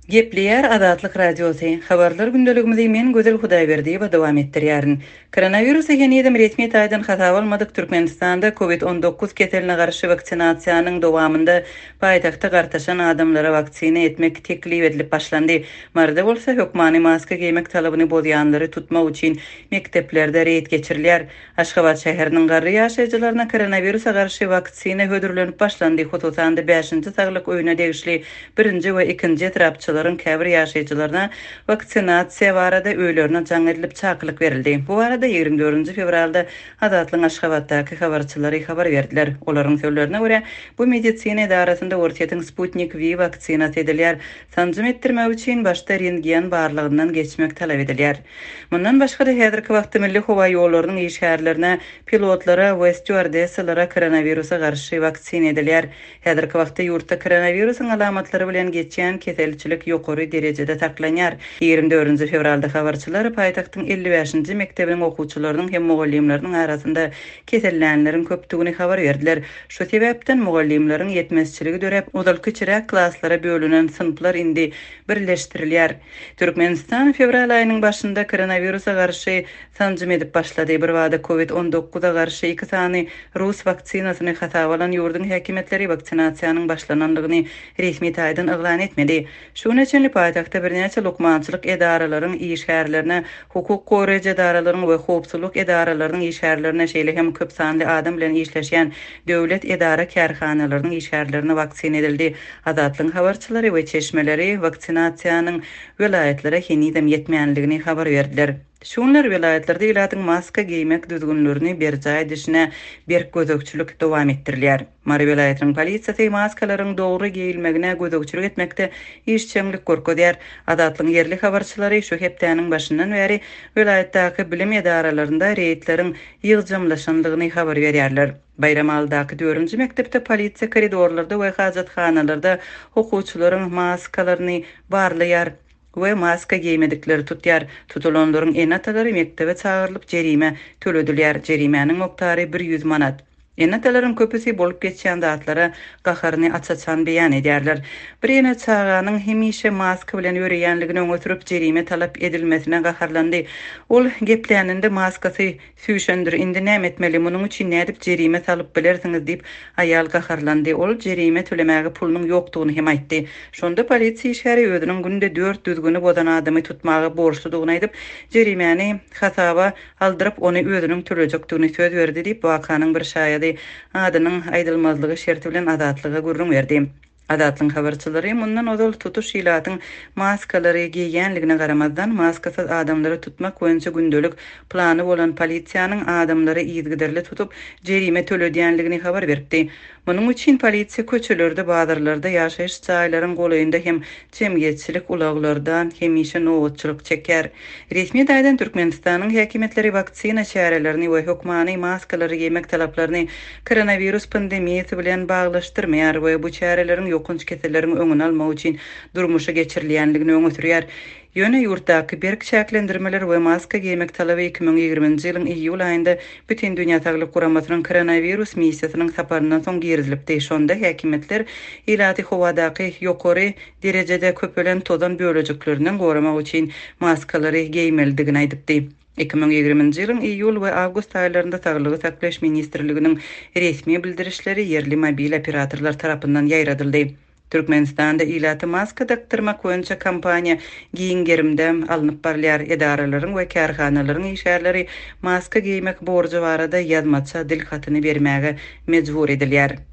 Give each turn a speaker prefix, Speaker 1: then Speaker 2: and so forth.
Speaker 1: Gepleýär Azatlyk Radiosy, Habarlar gündeligimizi men Gözel Hudaýberdiýewa dowam etdirýärin. Koronawirusy henizem resmi taýdan hasaba almadyk Türkmenistanda Covid 19 keseline garşy waksinasiýanyň dowamynda paýtagtda gartaşan adamlara waksina etmek teklip edilip başlandy. Maryda bolsa hökmany maska geýmek talabyny bozýanlary tutmak üçin mekdeplerde reýd geçirilýär. Aşgabat şäheriniň garry ýaşaýjylaryna koronawirusa garşy waksina hödürlenip başlandy, hususan-da bäşinji saglyk öýüne degişli birinji we ikinji etrapçalaryň käbir ýaşaýjylaryna waksinasiýa barada öýlerine jaň edilip çakylyk berildi. Bu barada 24 fewralda Azatlygyň Aşgabatdaky habarçylary habar berdiler. Olaryň sözlerine görä, bu medisina edarasynda Orsýetiň Sputnik V waksinasy edilýär. Sanjym etdirmek üçin başda rentgen barlagyndan geçmek talap edilýär. Mundan başga-da, häzirki wagtda milli howa ýollarynyň işgärlerine, pilotlara we stýuardessalara koronawirusa garşy waksina edilýär. Häzirki wagtda ýurtda koronawirusyň alamatlary bilen geçýän keselçilik ýokary derejede saklanýar. 24 fewralda habarçylar paýtagtyň 55-nji mekdebiniň okuwçylarynyň hem mugallymlarynyň arasynda kesellänleriň köpdügini habar berdiler. Şu sebäpden mugallymlaryň ýetmezçiligi döräp, ozal kiçiräk klaslara bölünen synplar indi birleşdirilýär. Türkmenistan fewral aýynyň başynda koronawirusa garşy sanjym edip başlady. Birbada Covid 19 a garşy iki sany rus waksinasyny hasaba alan ýurduň häkimiýetleri waksinasiýanyň başlanandygyny resmi taýdan yglan etmedi. Şu güne çenli paýtagtda birnäçe lukmançylyk edaralaryň işgärlerine, hukuk goraýjy edaralaryň we howpsuzlyk edaralarynyň işgärlerine, şeýle hem köp sanly adam bilen işleşýän döwlet edara-kärhanalarynyň işgärlerine waksina edildi. Azatlygyň habarçylary we çeşmeleri waksinasiýanyň welaýatlara henizem ýetmänligini habar berdiler. Şu günler welaýatlarda ilatyň maska geýmek düzgünlerini berjaý edişine berk gözegçilik dowam etdirilýär. Mary welaýatynyň polisiýasy maskalaryň dogry geýilmegine gözegçilik etmekde işjeňlik görkezýär. Azatlygyň ýerli habarçylary şu hepdäniň başyndan bäri welaýatdaky bilim edaralarynda reýdleriň ýygjamlaşandygyny habar berýärler. Baýramalydaky dördünji mekdepde polisiýa koridorlarda we hajathanalarda okuwçylaryň maskalaryny barlaýar we maska geýmedikleri tutýar. Tutulanlaryň ene-atalary mekdebe çagyrylyp jerime töledilýär. Jerimäniň mukdary 100 manat. Ene-atalaryň köpüsi bolup geçýän zatlara gaharyny aç-açan beýan edýärler. Bir ene çaganyň hemişe maska bilen ýöreýänligini öňe sürüp jerime talap edilmesine gaharlandy. Ol gepläninde maskasy Süýşendir, indi näme etmeli, munuň üçin nädip jerime salyp bilersiňiz diýip, aýal gaharlandy. Ol jerime tölemäge pulunyň ýokdugyny hem aýtdy. Şonda polisiýa işgäri özüniň günde dört düzgüni bozan adamy tutmaga borçludygyny aýdyp, jerimäni hasaba aldyryp, ony özüniň tölejekdigini söz berdi diýip, wakanyň bir şaýady adynyň aýdylmazlygy şerti bilen Azatlyga gürrüň berdi. Azatlygyň habarçylary mundan ozal tutuş ilatyň maskalary geýýänligine garamazdan, maskasyz adamlary tutmak boýunça gündelik plany bolan polisiýanyň adamlary yzygiderli tutup, jerime töledýänligini habar beripdi. Munuň üçin polisiýa köçelerde, bazarlarda, ýaşaýyş jaýlaryň golaýynda hem jemgyýetçilik ulaglarda hemişe nobatçylyk çekýär. Resmi taýdan Türkmenistanyň häkimiýetleri waksina çärelerini we hökmany maskalary geýmek talaplaryny koronawirus pandemiýasy bilen baglaşdyrmaýar we bu çäreleriň ýokanç keselleriň öňüni almak üçin durmuşa geçirilýänligini öňe sürýär. Ýöne ýurtdaky berk çäklendirmeler we maska geýmek talaby 2020-nji ýylyň iýul aýynda Bütindünýä Saglyk Guramasynyň koronawirus missiýasynyň saparyndan soň girizilipdi. Şonda häkimiýetler ilaty howadaky ýokary derejede köpelen tozan bölejiklerinden goramak üçin maskalary geýmelidigini aýdypdy. 2020-nji ýylyň iýul we awgust aýlarynda Saglygy saklaýyş ministrliginiň resmi bildirişleri ýerli mobil operatorlar tarapyndan ýaýradyldy. Türkmenistanda ilata maska dakdyrmak boýunça kampaniýa giň gerimde alnyp barylýar. Edaralaryň we kärhanalaryň işgärleri maska geýmek borjy barada ýazmaça dil hatyny bermäge mejbur edilýär.